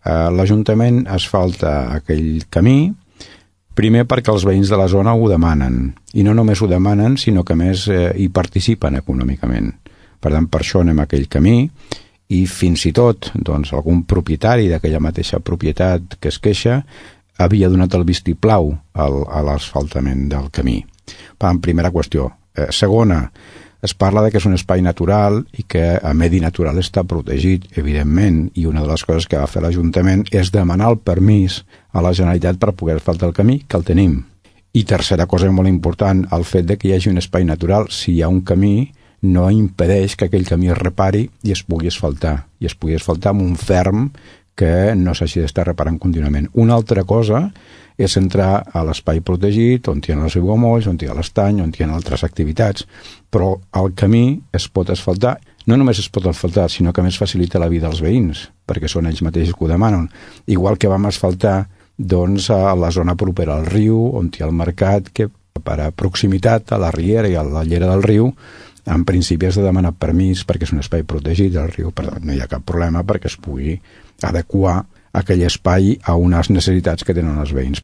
L'Ajuntament asfalta aquell camí, primer perquè els veïns de la zona ho demanen, i no només ho demanen, sinó que a més hi participen econòmicament. Per tant, per això anem a aquell camí, i fins i tot doncs, algun propietari d'aquella mateixa propietat que es queixa havia donat el vistiplau a l'asfaltament del camí. Per tant, primera qüestió. Segona, es parla de que és un espai natural i que el medi natural està protegit, evidentment, i una de les coses que va fer l'Ajuntament és demanar el permís a la Generalitat per poder asfaltar el camí, que el tenim. I tercera cosa molt important, el fet de que hi hagi un espai natural, si hi ha un camí, no impedeix que aquell camí es repari i es pugui asfaltar. I es pugui asfaltar amb un ferm que no s'hagi d'estar reparant contínuament. Una altra cosa és entrar a l'espai protegit, on hi ha els aiguamolls, on hi ha l'estany, on hi ha altres activitats, però el camí es pot asfaltar. No només es pot asfaltar, sinó que més facilita la vida als veïns, perquè són ells mateixos que ho demanen. Igual que vam asfaltar doncs, a la zona propera al riu, on hi ha el mercat, que per a proximitat a la riera i a la llera del riu, en principi has de demanar permís perquè és un espai protegit del riu, per tant no hi ha cap problema perquè es pugui adequar aquell espai a unes necessitats que tenen els veïns.